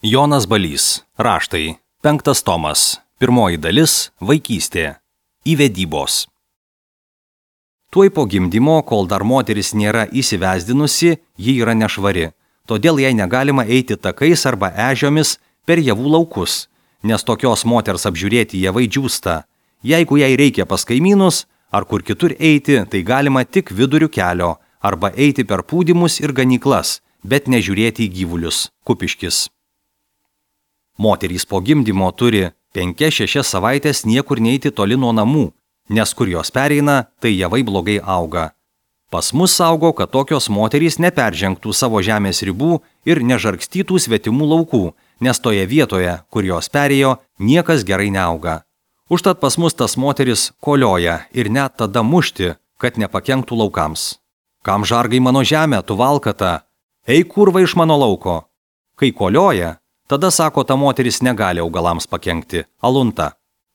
Jonas Balys. Raštai. 5 tomas. 1 dalis. Vaikystė. Įvedybos. Tuoj po gimdymo, kol dar moteris nėra įsivesdinusi, ji yra nešvari. Todėl jai negalima eiti takais arba ežiomis per javų laukus, nes tokios moters apžiūrėti javai džiūsta. Jeigu jai reikia pas kaimynus ar kur kitur eiti, tai galima tik viduriu kelio arba eiti per pūdymus ir ganyklas, bet nežiūrėti į gyvulius. Kupiškis. Moterys po gimdymo turi 5-6 savaitės niekur neiti toli nuo namų, nes kur jos pereina, tai javai blogai auga. Pas mus saugo, kad tokios moterys neperžengtų savo žemės ribų ir nežargstytų svetimų laukų, nes toje vietoje, kur jos perėjo, niekas gerai neauga. Užtat pas mus tas moteris kolioja ir net tada mušti, kad nepakenktų laukams. Kam žargai mano žemę, tu valkata? Eik kurva iš mano lauko. Kai kolioja, tada sako, ta moteris negali augalams pakenkti. Alunta.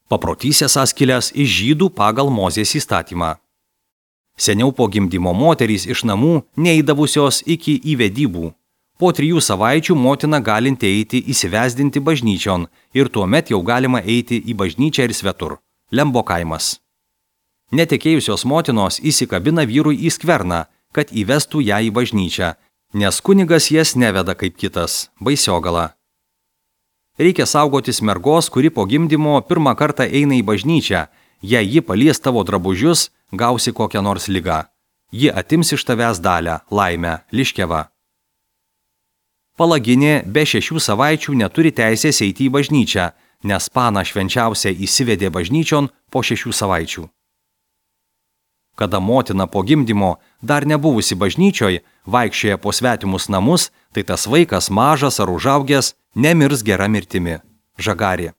Paprotys esąs kilęs iš žydų pagal Mozės įstatymą. Seniau po gimdymo moterys iš namų neįdavusios iki įvedybų. Po 3 savaičių motina galinti eiti įsivesdinti bažnyčion ir tuomet jau galima eiti į bažnyčią ir svetur. Lembo kaimas. Netekėjusios motinos įsikabina vyrui į skverną, kad įvestų ją į bažnyčią, nes kunigas jas neveda kaip kitas. Baisiogala. Reikia saugotis mergos, kuri po gimdymo pirmą kartą eina į bažnyčią. Jei ji palies tavo drabužius, gausi kokią nors ligą. Ji atims iš tavęs dalę, laimę, liškevą. Palaginė be 6 savaičių neturi teisės eiti į bažnyčią, nes pana švenčiausia įsivedė bažnyčion po 6 savaičių. Kada motina po gimdymo dar nebuvusi bažnyčioj, vaikščioja po svetimus namus, tai tas vaikas mažas ar užaugęs nemirs gera mirtimi. Žagarė.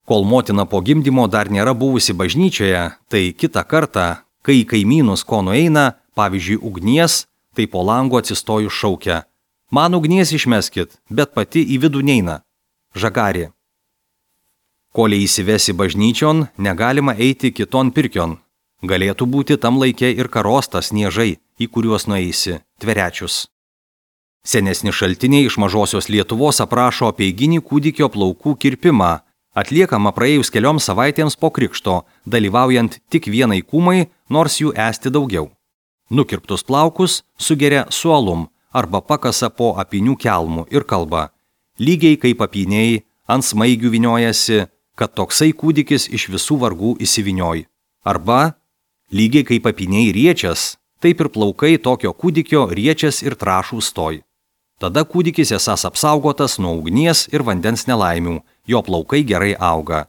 Kol motina po gimdymo dar nėra buvusi bažnyčioje, tai kitą kartą, kai į kaimynus ko nueina, pavyzdžiui ugnies, tai po langu atsistojus šaukia. Man ugnies išmeskit, bet pati į vidų neina. Žagarė. Kol įsivesi bažnyčion, negalima eiti kiton pirkion. Galėtų būti tam laike ir karostas niežai, į kuriuos nueisi, Tverečius. Senesni šaltiniai iš mažosios Lietuvos aprašo apeiginį kūdikio plaukų kirpimą, atliekama praėjus kelioms savaitėms po krikšto, dalyvaujant tik vienai kūmai, nors jų esti daugiau. Nukirptus plaukus sugeria su alum arba pakasa po apynių kelmų ir kalba. Lygiai kaip apyniai ant smaigių vyniojasi, kad toksai kūdikis iš visų vargų įsivynioj. Arba lygiai kaip apyniai riečias, taip ir plaukai tokio kūdikio riečias ir trašų stoj. Tada kūdikis esąs apsaugotas nuo ugnies ir vandens nelaimių, jo plaukai gerai auga.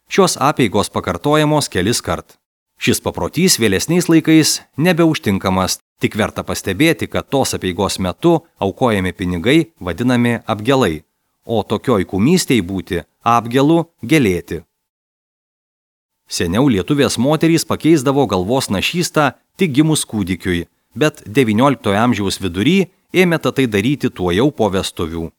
Šios apeigos pakartojamos kelis kart. Šis paprotys vėlesniais laikais nebeužtinkamas, tik verta pastebėti, kad tos apeigos metu aukojami pinigai vadinami apgelai, o tokioj kumystėj būti apgelu gelėti. Seniau lietuvės moterys pakeisdavo galvos našystą tik gimus kūdikiui, bet XIX amžiaus vidury ėmė tai daryti tuojau po vestuvių.